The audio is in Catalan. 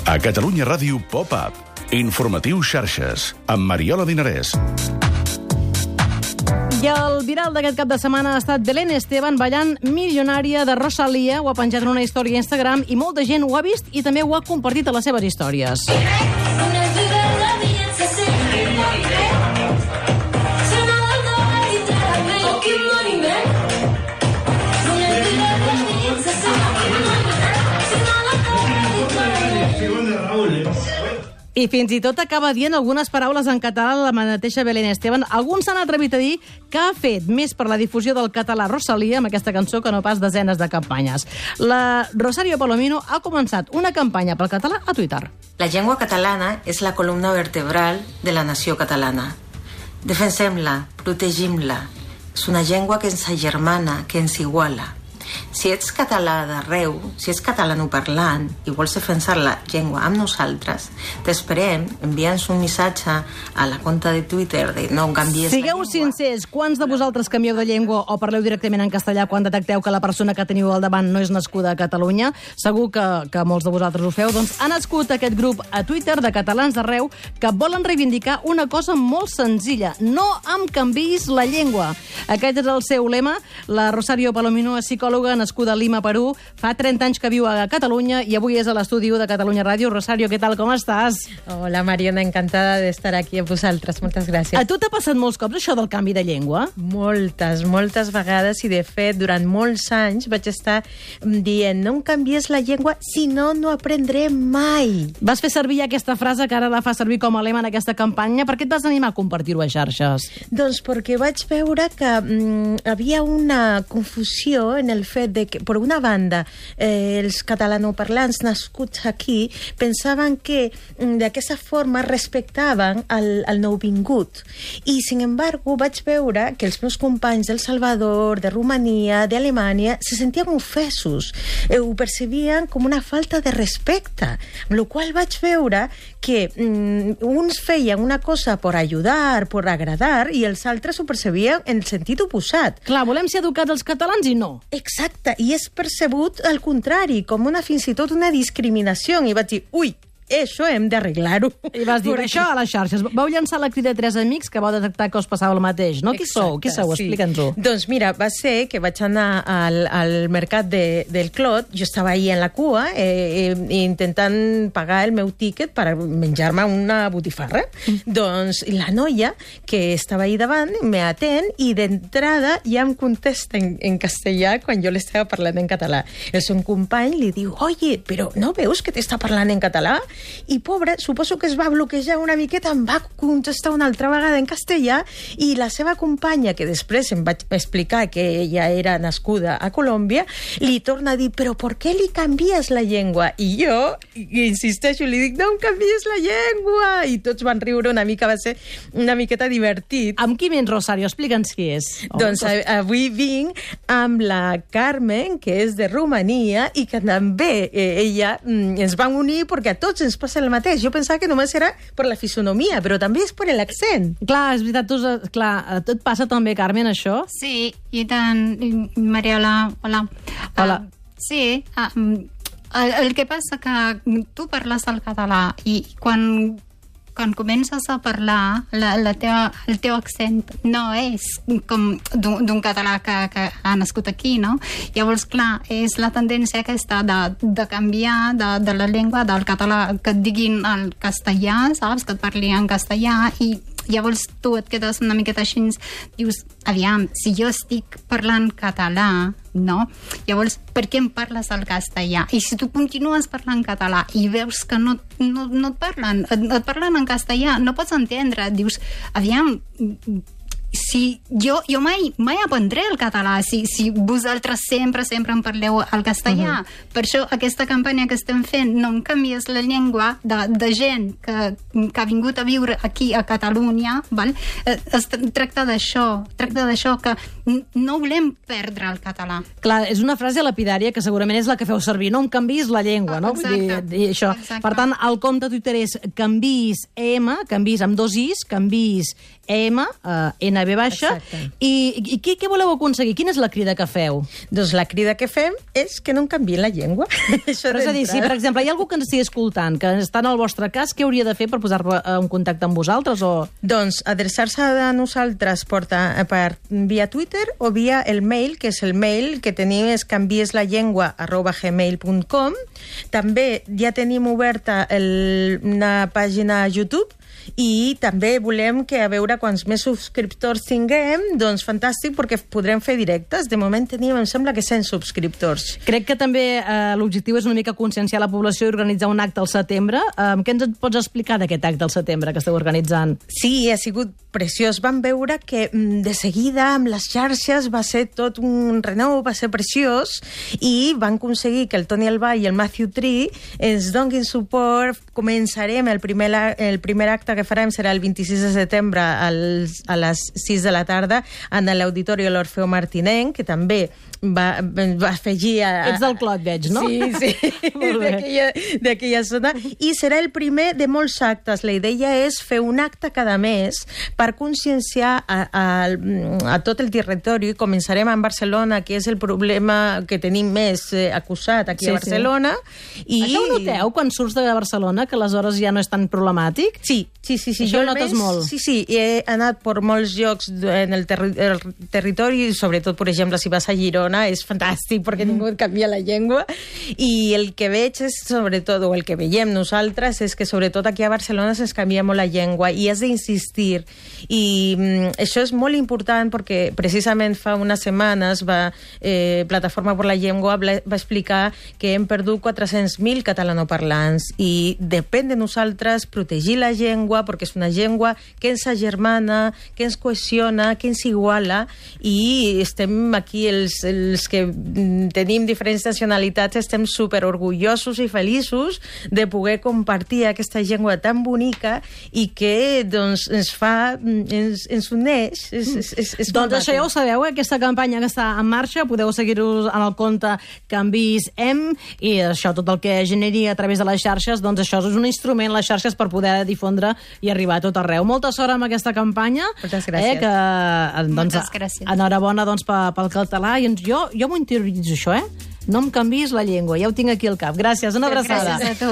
A Catalunya Ràdio Pop-Up. Informatiu Xarxes, amb Mariola Dinarès. I el viral d'aquest cap de setmana ha estat Belén Esteban ballant Milionària de Rosalía. Ho ha penjat en una història a Instagram i molta gent ho ha vist i també ho ha compartit a les seves històries. I fins i tot acaba dient algunes paraules en català la mateixa Belén Esteban. Alguns s'han atrevit a dir que ha fet més per la difusió del català Rosalía amb aquesta cançó que no pas desenes de campanyes. La Rosario Palomino ha començat una campanya pel català a Twitter. La llengua catalana és la columna vertebral de la nació catalana. Defensem-la, protegim-la. És una llengua que ens agermana, que ens iguala. Si ets català d'arreu, si ets catalanoparlant i vols defensar la llengua amb nosaltres, t'esperem, envia'ns un missatge a la compte de Twitter de no canvies la llengua. Sigueu sincers, quants de vosaltres canvieu de llengua o parleu directament en castellà quan detecteu que la persona que teniu al davant no és nascuda a Catalunya? Segur que molts de vosaltres ho feu. Doncs ha nascut aquest grup a Twitter de catalans d'arreu que volen reivindicar una cosa molt senzilla. No em canviïs la llengua. Aquest és el seu lema. La Rosario Palomino és psicòloga nascuda a Lima, Perú. Fa 30 anys que viu a Catalunya i avui és a l'estudi de Catalunya Ràdio. Rosario, què tal, com estàs? Hola, Mariona, encantada d'estar aquí amb vosaltres. Moltes gràcies. A tu t'ha passat molts cops això del canvi de llengua? Moltes vegades, i de fet, durant molts anys vaig estar dient no em canvies la llengua, si no, no aprendré mai. Vas fer servir aquesta frase que ara la fa servir com a lema en aquesta campanya. Per què et vas animar a compartir-ho a xarxes? Doncs perquè vaig veure que havia una confusió en el fet de que, per una banda, els catalanoparlants nascuts aquí pensaven que d'aquesta forma respectaven el nouvingut. I, sin embargo, vaig veure que els meus companys d'El Salvador, de Romania, d'Alemanya, se sentien ofesos. Ho percebien com una falta de respecte. Amb la qual vaig veure que uns feien una cosa per ajudar, per agradar, i els altres ho percebien en el sentit oposat. Clar, volem ser educats els catalans i no. Exacte, i és percebut al contrari, com fins i tot una discriminació. I vaig dir, ui, això hem d'arreglar-ho. I vas dir, això a les xarxes. Vau llançar la crida a 3 amics que vau detectar que us passava el mateix, no? Qui sou? Sí. Explica'ns-ho. Doncs mira, va ser que vaig anar al mercat del Clot, jo estava ahí en la cua intentant pagar el meu tíquet per menjar-me una botifarra. Doncs la noia que estava ahí davant me atén i d'entrada ja em contesta en castellà quan jo l'estava parlant en català. El seu company li diu, oye, però no veus que t'està parlant en català? I pobre, suposo que es va bloquejar una miqueta, em va contestar una altra vegada en castellà i la seva companya, que després em vaig explicar que ella era nascuda a Colòmbia, li torna a dir, però per què li canvies la llengua? I jo insisteixo, li dic, no em canvies la llengua! I tots van riure una mica, va ser una miqueta divertit. Amb qui vens, Rosario? Explica'ns qui és. Doncs avui vinc amb la Carmen, que és de Romania, i que també ella ens va unir perquè a tots ens passa el mateix. Jo pensava que només era per la fisonomia, però també és per l'accent. Clar, és veritat, a tu et passa també, Carmen, això? Sí, i tant, Mariola, hola. Hola. Sí, el que passa que tu parles el català i quan comences a parlar, el teu accent no és com d'un català que ha nascut aquí, no? Llavors, clar, és la tendència aquesta de canviar de la llengua del català, que et diguin el castellà, saps? Que et parli en castellà i llavors tu et quedes una miqueta així, dius, aviam, si jo estic parlant català, no? Llavors, per què em parles el castellà? I si tu continues parlant català i veus que no et parlen, et parlen en castellà, no pots entendre, dius, aviam, si jo mai aprendré el català si vosaltres sempre em parleu el castellà. Per això aquesta campanya que estem fent, no em canvies la llengua de gent que ha vingut a viure aquí a Catalunya, val? Es tracta d'això, que no volem perdre el català. Clar, és una frase lapidària que segurament és la que feu servir, no em canviïs la llengua, no? Exacte. Dir això. Exacte. Per tant, el compte Twitter és canviïs EM, canviïs amb 2 is, canviïs EM, NB Exacte. I què voleu aconseguir? Quina és la crida que feu? Doncs la crida que fem és que no en canviïn la llengua. Però és a dir, si per exemple hi ha algú que ens estigui escoltant, que està en el vostre cas, què hauria de fer per posar-se en contacte amb vosaltres? Doncs adreçar-se a nosaltres per via Twitter o via el mail, que és el mail que tenim, és canvieslallengua@gmail.com. També ja tenim oberta una pàgina a YouTube i també volem que a veure quants més subscriptors tinguem, doncs fantàstic, perquè podrem fer directes. De moment tenim, em sembla que 100 subscriptors. Crec que també l'objectiu és una mica conscienciar la població i organitzar un acte al setembre. Què ens pots explicar d'aquest acte al setembre que esteu organitzant? Sí, ha sigut preciós. Vam veure que de seguida amb les xarxes va ser tot un renou, va ser preciós, i van aconseguir que el Toni Albà i el Matthew Tree ens donin suport. Començarem el primer acte que farem serà el 26 de setembre a les 6 de la tarda en l'Auditori de l'Orfeo Martinenc, que també va afegir... Ets del Clot, veig, no? Sí, d'aquella zona. I serà el primer de molts actes. La idea és fer un acte cada mes per conscienciar a tot el territori. Començarem amb Barcelona, que és el problema que tenim més acusat aquí a Barcelona. I... Això ho noteu quan surts de Barcelona, que aleshores ja no és tan problemàtic? Sí. Això ho notes molt. Sí, he anat per molts llocs en el territori, sobretot, per exemple, si vas a Girona, és fantàstic perquè ningú et canvia la llengua, i el que veig és, sobretot, o el que veiem nosaltres, és que sobretot aquí a Barcelona se'ns canvia molt la llengua i has d'insistir. I això és molt important perquè precisament fa unes setmanes Plataforma per la Llengua va explicar que hem perdut 400.000 catalanoparlants i depèn de nosaltres protegir la llengua, perquè és una llengua que ens agermana, que ens cohesiona, que ens iguala, i estem aquí, els que tenim diferents nacionalitats, estem superorgullosos i feliços de poder compartir aquesta llengua tan bonica i que doncs, ens uneix. Doncs això ja ho sabeu, aquesta campanya que està en marxa, podeu seguir-vos en el compte Canvis M, i això, tot el que generi a través de les xarxes, doncs això és un instrument, les xarxes, per poder difondre i arribar a tot arreu. Molta sort amb aquesta campanya. Moltes gràcies. Moltes gràcies. Enhorabona pel català. I jo m'ho interioritzo, això, No em canviïs la llengua, ja ho tinc aquí al cap. Gràcies, una abraçada. Gràcies a tu.